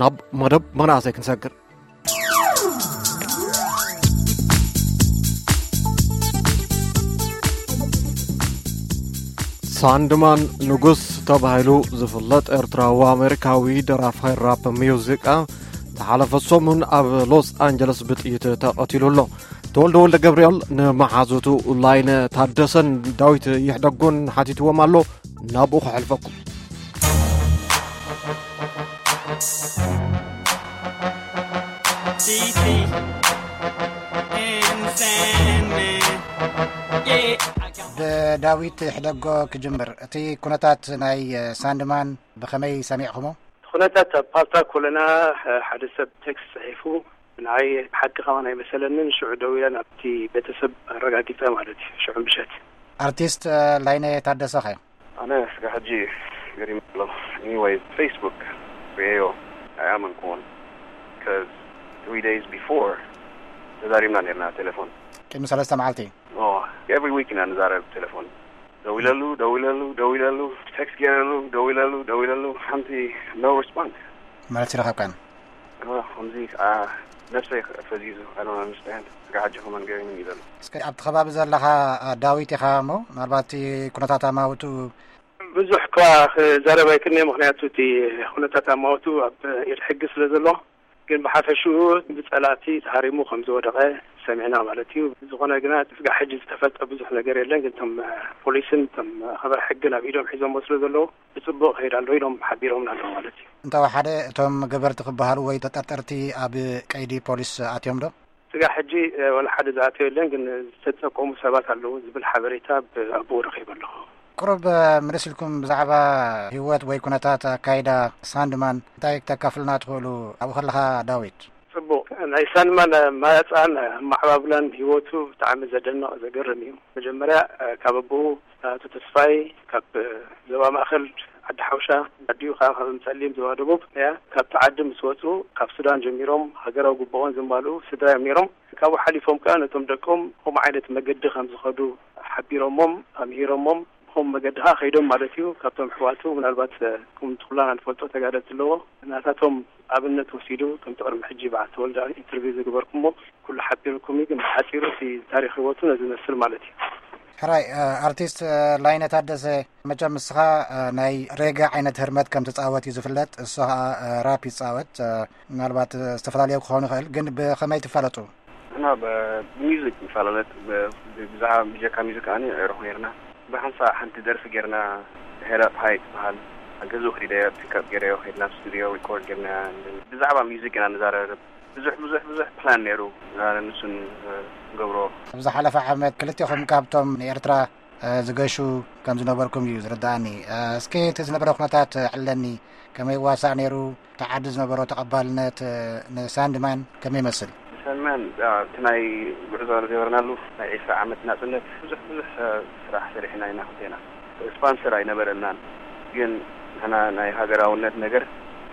ናብ መደብ መናእሰይ ክንሰግር። ሳንድማን ንጉስ ተባሂሉ ዝፍለጥ ኤርትራዊ ኣሜሪካዊ ደራፋይ ራፕ ሙዚቃ ዝሓለፈ ሰሙን ኣብ ሎስ ኣንጀለስ ብጥይት ተቐቲሉ ኣሎ። ተወልደ ወልደ ገብርኤል ንመሓዙቱ ላይነ ታደሰን ዳዊት ይሕደጎን ሓቲትዎም ኣሎ። ናብኡ ከሕልፈኩም። ብዳዊት ሕደጎ ክጅምር። እቲ ኩነታት ናይ ሳንድማን ብኸመይ ሰሚዕኹሞ? ኩነታት ኣብ ፓልታ ኮለና ሓደ ሰብ ቴክስት ጽሒፉ ንዓይ ሓቂ ከማን ኣይመሰለንን። ሽዑ ደው ኢለ ናብቲ ቤተሰብ ኣረጋጊጸ ማለት እዩ። ሽዑ ምሸት። ኣርቲስት ላይነ ታደሰኸ? ኣነ እስከ ሕጂ ገሪም ኣሎ። Anyway, Facebook ርእዮ ኣይኣመንኩዎን። Because three days before ተዛሪብና ነርና ቴሌፎን። ቅድሚ ሰለስተ መዓልቲ። Oh, every week ኢና ንዛረብ ቴሌፎን። ደው ኢለሉ፣ ደው ኢለሉ፣ ደው ኢለሉ፣ ቴክስት ገይረሉ፣ ደው ኢለሉ፣ ደው ኢለሉ፣ ሓንቲ no response። መልሲ ረኸብካን? ከምዚ ከዓ ነብሰይ ፈዚዙ። I don't understand። ጋሕጂ ከመን ገይሩ ይበሉ። እስከ ኣብቲ ከባቢ ዘለኻ ዳዊት ኢኻ እሞ ምናልባት እቲ ኩነታት ኣማውቱ ብዙሕ እኳ ክዛረብ ኣይክእልን'የ፣ ምኽንያቱ እቲ ኩነታት ኣማውቱ ኣብ ኢድ ሕጊ ስለ ዘሎ፣ ግን ብሓፈሽኡ ብጸላእቲ ተሃሪሙ ከም ዝወደቐ ሰሚዕና ማለት እዩ። ዝኾነ ግና ስጋዕ ሕጂ ዝተፈልጠ ብዙሕ ነገር የለን፣ ግን እቶም ፖሊስን እቶም ኣኽበርቲ ሕግን ኣብ ኢዶም ሒዞሞ ስለ ዘለዉ ብጽቡቕ ከይድ ኣሎ ኢሎም ሓቢሮምና ኣለዉ ማለት እዩ። እንተወሓደ እቶም ገበርቲ ክበሃሉ ወይ ተጠርጠርቲ ኣብ ቀይዲ ፖሊስ ኣትዮም ዶ? ስጋዕ ሕጂ ወላ ሓደ ዝኣተወ የለን፣ ግን ዝተጸቆሙ ሰባት ኣለዉ ዝብል ሓበሬታ ብኣቦኡ ረኺበ ኣለኹ። ቅሩብ ምልስ ኢልኩም ብዛዕባ ህይወት ወይ ኩነታት ኣካይዳ ሳንድማን እንታይ ክተካፍልና ትኽእሉ? ኣብኡ ከለኻ ዳዊት። ጽቡቕ። ናይ ሳንድማን ማያጻን ማዕባብላን ህይወቱ ብጣዕሚ ዘደንቕ ዘገርም እዩ። መጀመርያ ካብ ኣቦኡ ኣቶ ተስፋይ ካብ ዞባ ማእከል ዓዲ ሓውሻ ኣዲኡ ከዓ ካብ ጸሊም ዞባ ደቡብ እያ። ካብቲ ዓዲ ምስ ወጹ ካብ ሱዳን ጀሚሮም ሃገራዊ ግቡኦም ዘማልኡ ስድራ እዮም ነይሮም። ካብኡ ሓሊፎም ከዓ ነቶም ደቆም ከምኡ ዓይነት መገዲ ከም ዝኸዱ ሓቢሮሞም ኣምሂሮሞም ብኸምኡ መገዲ ከዓ ከይዶም ማለት እዩ። ካብቶም ኣሕዋቱ ምናልባት ከምቲ ኩላና ንፈልጦ ተጋደልቲ ኣለዎ። ናታቶም ኣብነት ወሲዱ ከምቲ ቅድሚ ሕጂ በዓል ተወልደ ኢንተርቪው ዝገበርኩሞ ኩሉ ሓቢርኩም እዩ። ግን ብሓፂሩ እቲ ታሪክ ህይወቱ ነዚ ይመስል ማለት እዩ። ሕራይ ኣርቲስት ላይነ ታደሰ መቸም ንስኻ ናይ ሬገ ዓይነት ህርመት ከም ትፃወት እዩ ዝፍለጥ። እሱ ከዓ ራፕ ይፃወት። ምናልባት ዝተፈላለዩ ክኸውን ይኽእል ግን ብኸመይ ትፋለጡ? እና ብሚዚክ ንፈላለጥ ብዛዕባ ብጀካ ሚዚክ ኣነ ይዕርኹ ነርና። ብሓንሳ ሓንቲ ደርፊ ጌርና ድሕረ ፓይ ትበሃል ገዙ ከይደ ፒክኣፕ ገይረዮ ከይድና ስቱዲዮ ሪኮርድ ጌርና። ብዛዕባ ሚዚክ ኢና ንዛረብ። ብዙሕ ብዙሕ ብዙሕ ፕላን ነይሩ ንሱን ንገብሮ። ኣብ ዝሓለፈ ዓመት ክልቴኹም ካብቶም ንኤርትራ ዝገሹ ከም ዝነበርኩም እዩ ዝርድኣኒ። እስኪ እቲ ዝነበረ ኩነታት ዕለኒ ከመይ ዋሳእ ነይሩ? እቲ ዓዲ ዝነበሮ ተቐባልነት ንሳንድማን ከመይ ይመስል? ሳንድማን እቲ ናይ ጉዕዞ ዝገበርናሉ ናይ ዒስራ ዓመት ናጽነት ብዙሕ ብዙሕ ስራሕ ሰሪሕና ኢና። ክልቴና ስፖንሰር ኣይነበረናን፣ ግን ንሕና ናይ ሃገራውነት ነገር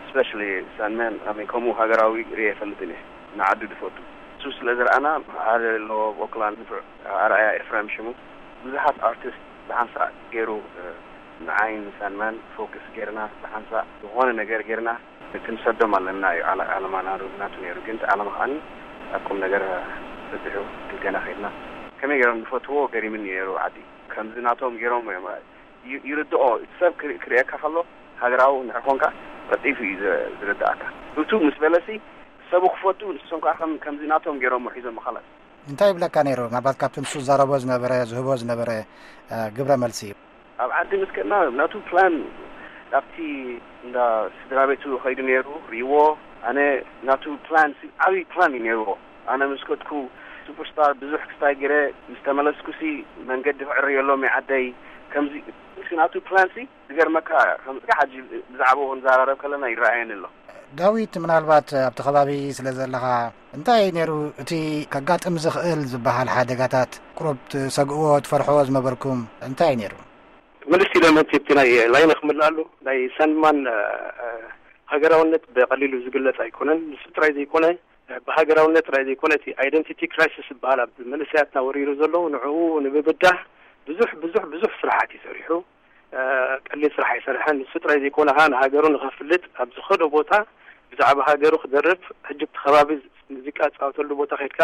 ስፔሻሊ ሳንድማን ኣይ ሚን ከምኡ ሃገራዊ ርእየ ኣይፈልጥን እየ። ንዓዱ ዝፈቱ እሱ ስለ ዝረኣና ሓደ ኣለዎ ኦክላንድ ንፉዕ ኣርኣያ ኤፍሬም ሽሙ ብዙሓት ኣርቲስት ብሓንሳእ ገይሩ ንዓይን ሳንድማን ፎክስ ጌርና ብሓንሳእ ዝኾነ ነገር ጌርና ክንሰዶም ኣለና እዩ ዓለ- ዓለማና ናቱ ነይሩ። ግን እቲ ዓለማ ከዓኒ ኣብ ቁም ነገር በጺሑ ክልቴና ከይድና ከመይ ገይሮም ዝፈትዎ ገሪምኒ ነይሩ። ዓዲ ከምዚ ናቶም ገይሮም እዮም ዩ- ይርድኦ። እቲ ሰብ ክር- ክርእየካ ከሎ ሃገራዊ እንድሕር ኮንካ ቀልጢፉ እዩ ዝ- ዝርድኣካ። ህቱ ምስ በለሲ ሰቡ ክፈቱ ንሶም ከዓ ከም- ከምዚ ናቶም ገይሮም ሒዞም ኻላስ እንታይ ይብለካ ነይሩ? ምናልባት ካብቲ ንሱ ዝዛረቦ ዝነበረ ዝህቦ ዝነበረ ግብረ መልሲ ኣብ ዓዲ ምስ ከድና ናቱ ፕላን ናብቲ እንዳ ስድራ ቤቱ ኸይዱ ነይሩ ርእይዎ። ኣነ ናቱ ፕላን ዓብዪ ፕላን እዩ ነይርዎ። ኣነ ምስ ከድኩ ሱፐርስታር ብዙሕ ክስታይ ገይረ ምስ ተመለስኩሲ መንገዲ ክዕርየሎም እዩ ዓደይ። ከምዚ ናቱ ፕላንሲ ዝገርመካ ከምዚ ሕጂ ብዛዕባኡ ክንዘራረብ ከለና ይረኣየኒ ኣሎ። ዳዊት ምናልባት ኣብቲ ከባቢ ስለ ዘለኻ እንታይ ነይሩ እቲ ከጋጥም ዝኽእል ዝበሃል ሓደጋታት ቁሩብ ትሰግእዎ ትፈርሕዎ ዝነበርኩም እንታይ ነይሩ? ምልስ ኢለ ነቲ እቲ ናይ ላይነ ክምልኣሉ ናይ ሳንድማን ሃገራውነት ብቐሊሉ ዝግለጽ ኣይኮነን። ንሱ ጥራይ ዘይኮነ ብሃገራውነት ጥራይ ዘይኮነ እቲ ኣይደንቲቲ ክራይሲስ ዝበሃል ኣብ መንእሰያትና ወሪሩ ዘሎ ንዕኡ ንምብዳህ ብዙሕ ብዙሕ ብዙሕ ስራሓት እዩ ሰሪሑ። ቀሊል ስራሕ ኣይሰርሐን። ንሱ ጥራይ ዘይኮነ ከዓ ንሃገሩ ንኸፍልጥ ኣብ ዝኸዶ ቦታ ብዛዕባ ሃገሩ ክደርፍ፣ ሕጂ ኣብቲ ከባቢ ሙዚቃ ዝጻወተሉ ቦታ ከድካ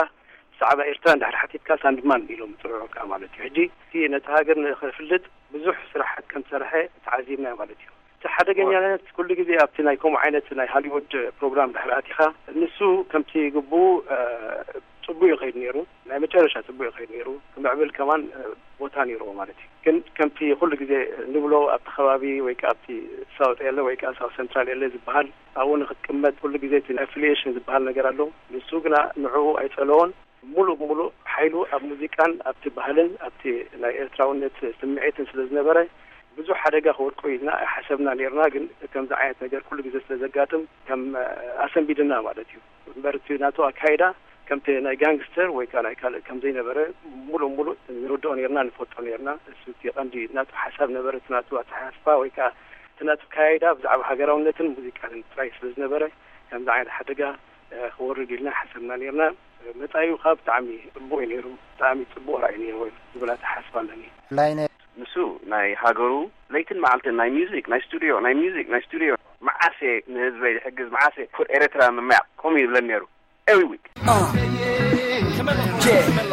ብዛዕባ ኤርትራ እንድሕር ሓቲትካ ሳንድማን ኢሎም ይጽውዑካ ማለት እዩ። ሕጂ እቲ ነቲ ሃገር ንኽፍልጥ ብዙሕ ስራሓት ከም ዝሰርሐ ተዓዚብና ማለት እዩ። እቲ ሓደገኛነት ኩሉ ግዜ ኣብቲ ናይ ከምኡ ዓይነት ናይ ሃሊውድ ፕሮግራም ድሕሪ ኣቲኻ፣ ንሱ ከምቲ ግቡኡ፣ እ፣ ጽቡቅ እዩ ከይድ ነይሩ። ናይ መጨረሻ ጽቡቅ እዩ ከይድ ነይሩ። ክምዕብል ከማን፣ እ፣ ቦታ ነይርዎ ማለት እዩ። ግን ከምቲ ኩሉ ግዜ ንብሎ ኣብቲ ከባቢ ወይ ከኣ ኣብቲ ሳውት ኤለ ወይ ከኣ ሳውት ሰንትራል ኤለ ዝበሃል ኣብኡ ንክትቅመጥ ኩሉ ግዜ እቲ ኣፊሊየሽን ዝበሃል ነገር ኣሎ። ንሱ ግና ንዕኡ ኣይጸለዎን። ሙሉእ ብሙሉእ ሓይሉ ኣብ ሙዚቃን ኣብቲ ባህልን ኣብቲ ናይ ኤርትራውነት ስምዒትን ስለ ዝነበረ ብዙሕ ሓደጋ ክወድቆ ኢልና ኣይሓሰብና ነይርና። ግን ከምዚ ዓይነት ነገር ኩሉ ግዜ ስለ ዘጋጥም ከም ኣሰንቢድና ማለት እዩ። እምበር እቲ ናቱ ኣካይዳ ከምቲ ናይ ጋንግስተር ወይ ከዓ ናይ ካልእ ከም ዘይነበረ ሙሉእ ሙሉእ ንርድኦ ነይርና፣ ንፈልጦ ነይርና። እሱ እቲ ቀንዲ ናቱ ሓሳብ ነበረ። እቲ ናቱ ኣተሓሳስባ ወይ ከዓ እቲ ናቱ ኣካያይዳ ብዛዕባ ሃገራውነትን ሙዚቃን ጥራይ ስለ ዝነበረ ከምዚ ዓይነት ሓደጋ፣ እ፣ ክወርድ ኢልና ሓሰብና ነይርና። መጻኢኡ ከዓ ብጣዕሚ ጽቡቕ እዩ ነይሩ። ብጣዕሚ ጽቡቕ ራእይ ነይርዎ ዝብል ኣተሓሳስባ ኣለኒ። ላይነ ንሱ ናይ ሃገሩ ለይትን መዓልትን ናይ ሚውዚክ፣ ናይ ስቱዲዮ፣ ናይ ሚውዚክ፣ ናይ ስቱዲዮ፣ መዓስ እየ ንህዝበይ ዝሕግዝ፣ መዓስ እየ ክፉት ኤርትራ ምምያቕ፣ ከምኡ ይብለኒ ነይሩ። Every week. Uh, yeah.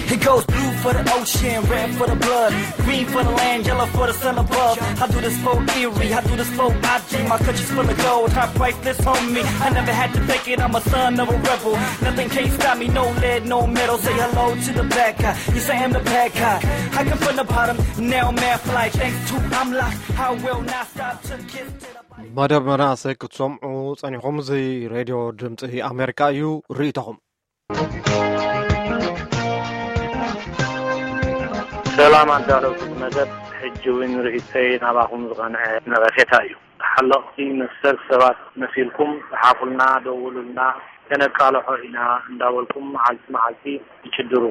He goes blue for the ocean, red for the blood, green for the land, yellow for the sun above. I do this for Erie, I do this for I G. My country's full of gold, high priceless, homie. I never had to fake it, I'm a son of a rebel. Nothing can't stop me, no lead, no metal. Say hello to the black guy, you say I'm the bad guy. I come from the bottom, now I'm mad fly. Thanks to I'm locked, I will not stop to get to the መደብ መናእሰይ ክትሰምዑ ጸኒኹም። እዚ ሬድዮ ድምጺ ኣሜሪካ እዩ። ርእይቶኹም። ሰላም ኣዳለውቲ መደብ፣ ሕጂ እውን ርእይቶይ ናባኹም ዝቐንዐ ነቐፌታ እዩ። ተሓለቕቲ መሰል ሰባት መሲልኩም ጽሓፉልና፣ ደውሉልና፣ ከነቃልሖ ኢና እንዳበልኩም መዓልቲ መዓልቲ ትጭድሩ።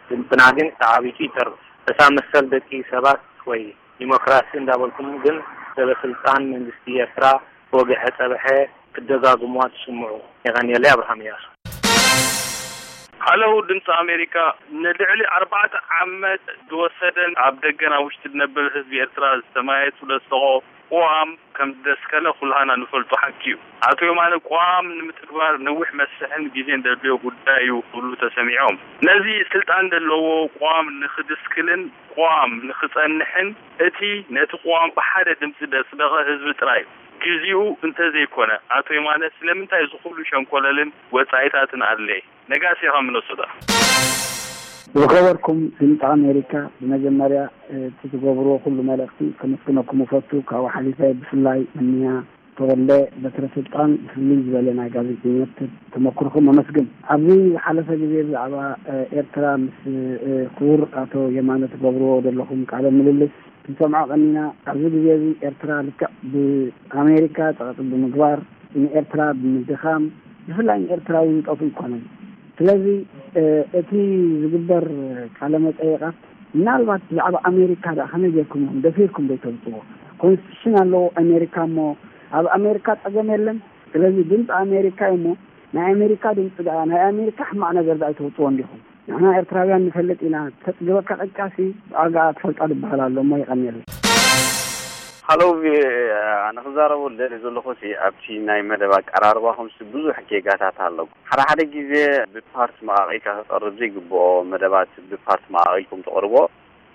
ድምፅና ግን ተዓቢጡ ይተርፍ። እታ መሰል ደቂ ሰባት ወይ ዲሞክራሲ እንዳበልኩም ግን ሰበ ስልጣን መንግስቲ ኤርትራ ወግሐ ጸብሐ ክደጋግሙዋ ትስምዑ። የቐንየለይ። ኣብርሃም እያሱ። ሃለው ድምፂ ኣሜሪካ፣ ንልዕሊ ኣርባዕተ ዓመት ዝወሰደን ኣብ ደገን ኣብ ውሽጢ ዝነብር ህዝቢ ኤርትራ ዝተመያየጡ ደስቆ ቅዋም ከም ዝደስከለ ኩላህና ንፈልጦ ሓቂ እዩ። ኣቶ የማነ፣ ቅዋም ንምትግባር ነዊሕ መስርሕን ግዜን ዘድልዮ ጉዳይ እዩ ክብሉ ተሰሚዖም። ነዚ ስልጣን ዘለዎ ቅዋም ንክድስክልን ቅዋም ንክጸንሕን እቲ ነቲ ቅዋም ብሓደ ድምፂ ዘጽደቐ ህዝቢ ጥራይ እዩ። ግዜኡ እንተዘይኮነ፣ ኣቶ የማነ፣ ስለምንታይ እዚ ኩሉ ሸንኮለልን ወጻኢታትን ኣድለየ? ነጋሲ ኢኻ ሚነሶታ። ዝኸበርኩም ድምፂ ኣሜሪካ፣ ብመጀመርያ እቲ ትገብርዎ ኩሉ መልእኽቲ ከመስግነኩም እፈቱ። ካብኡ ሓሊፈ ብፍላይ እንያ ተወልደ በትረ ስልጣን ብፍልይ ዝበለ ናይ ጋዜጠኝነት ተመክሮኹም ኣመስግን። ኣብዚ ዝሓለፈ ግዜ ብዛዕባ፣ እ፣ ኤርትራ ምስ፣ እ፣ ክቡር ኣቶ የማነ ትገብርዎ ዘለኹም ቃለ ምልልስ ክንሰምዖ ቀኒና። ኣብዚ ግዜ እዚ ኤርትራ ልክዕ ብኣሜሪካ ጸቕጢ ብምግባር፣ ንኤርትራ ብምድኻም፣ ብፍላይ ንኤርትራዊ ዝጠፍኡ ኣይኮነን። ስለዚ፣ እ፣ እቲ ዝግበር ቃለ መጠይቓት ምናልባት ብዛዕባ ኣሜሪካ ደኣ ከመይ ጌርኩም ኢኹም ደፊርኩም ዘይተውጽዎ? ኮንስቲቱሽን ኣለዎ ኣሜሪካ እሞ ኣብ ኣሜሪካ ጸገም የለን። ስለዚ ድምፂ ኣሜሪካ እዩ እሞ ናይ ኣሜሪካ ድምፂ ደኣ፣ ናይ ኣሜሪካ ሕማቕ ነገር ደኣ ኣይተውጽዎ እንዲኹም? ንሕና ኤርትራውያን ንፈልጥ ኢና። ተጽግበካ ቅጫሲ ብኣጋ ትፈልጣ ዝበሃል ኣሎ እሞ የቐንየለይ። ሃሎ ቪኦኤ፣ ኣነ ክዛረቦ ዝደሊ ዘለኹ ሲ ኣብቲ ናይ መደብ ኣቀራርባኹም ሲ ብዙሕ ጌጋታት ኣለኩም። ሓደ ሓደ ግዜ ብፓርት መቓቒልካ ክቐርብ ዘይግብኦ መደባት ብፓርት መቓቒልኩም ተቕርቦ።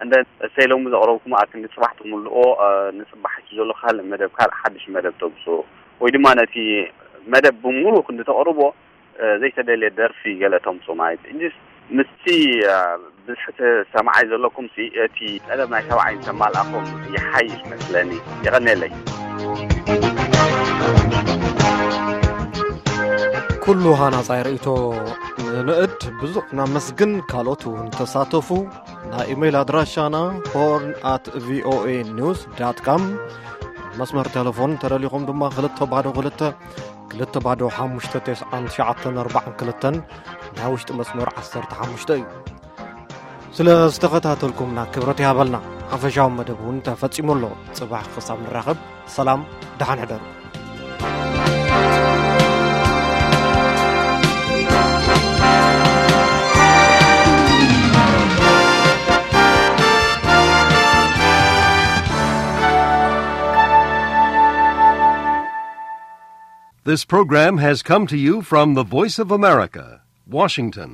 እንደ እሰይ ሎሚ ዘቕረብኩም ኣክንዲ ጽባሕ ትምልኦ፣ እ፣ ንጽባሕ እቲ ዘሎ ካልእ መደብ ካልእ ሓድሽ መደብ ተምጽኡ ወይ ድማ ነቲ መደብ ብምሉኡ ክንዲ ተቕርቦ፣ እ፣ ዘይተደልየ ደርፊ ገለ ተምጽኡ ማለት እዩ። እንጂስ ምስቲ፣ እ፣ ብዝሒ ሰማዓይ ዘለኩም ሲ እቲ ጠለብ ናይ ሰብዓይ እንተማልኣኹም ይሓይሽ መስለኒ። የቐንየለይ። ኩሉ ሃናጻይ ርእይቶ ንንእድ ብዙሕ ነመስግን። ካልኦት እውን ተሳተፉ። ናይ ኢሜይል ኣድራሻና ሆርን ኣት ቪኦኤ ኒውስ ዳት ካም፣ መስመር ቴሌፎን ተደሊኹም ድማ ክልተ ባዶ ክልተ፣ ክልተ ባዶ ሓሙሽተ፣ ተስዓን ትሽዓተን ኣርባዓን ክልተን ናይ ውሽጢ መስመር ዓሰርተ ሓሙሽተ እዩ። ስለ ዝተኸታተልኩምና ክብረት ይሃበልና። ሓፈሻዊ መደብ እውን ተፈጺሙ ኣሎ። ጽባሕ ክሳብ ንራኸብ፣ ሰላም፣ ደሓን ሕደሩ። This program has come to you from the Voice of America, Washington.